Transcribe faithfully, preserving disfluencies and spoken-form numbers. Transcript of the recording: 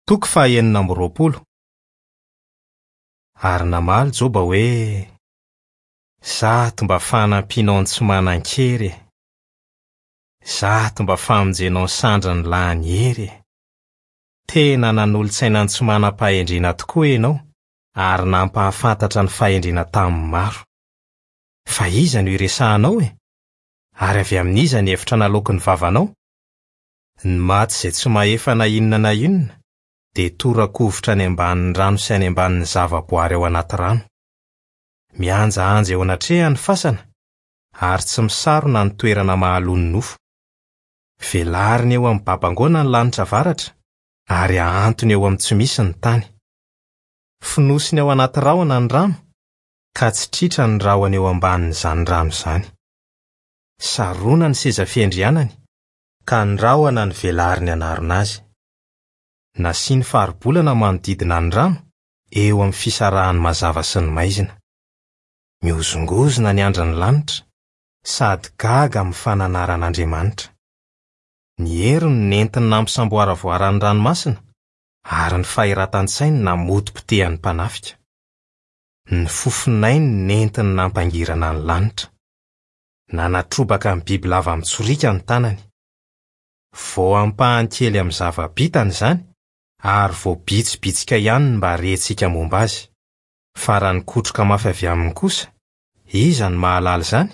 Toko fahaenina amby roapolo. Ary namaly Joba hoe: "Zato mba fanampianao ny tsy manan-kery e! Zato mba famonjenao ny sandriny lany hery e! Tena nanolo-tsaina ny tsy manam-pahendrena tokoa ianao ary nampahafantatra ny fahendrena tamin'ny maro. Fa iza no iresahanao e? Ary avy amin'iza ny hevitra naloaky ny vavanao? Ny maty izay tsy mahefa na inona na inona dia tora-kovitra any ambanin'ny rano sy any ambanin'ny zavaboary ao anaty rano. Mihanjahanja eo anatrehany ny fasana ary tsy misarona ny toerana mahaloa ny nofo. Velariny eo amin'ny babangoana ny lanitra avaratra ary ahantony eo amin'ny tsy misy ny tany. Fonosiny ao anaty rahona ny rano ka tsy tritra ny rahona eo ambanin'izany rano izany. Sarona ny seza fiandrianany ka ny rahona no velariny hanarona azy. Nasiany faribolana manodidina ny rano eo amin'ny fisarahan'ny mazava sy ny maizina. Mihozongozona ny andrin'ny lanitra sady gaga amin'ny fananaran'Andriamanitra. Ny heriny no nentiny nampisamboaravoara ny ranomasina ary ny fahiratan-tsainy namotipotehany mpanafika. Ny fofonainy no nentiny nampangirana ny lanitra. Nanatrobaka ny bibilava mitsoriaka ny tanany. Vao ampahany kely amin'ny zava-bitany izany ary vao bitsibitsika ihany ny mba rentsika momba azy. Fa raha nikotroka mafy avy aminy kosa, iza no mahalala izany?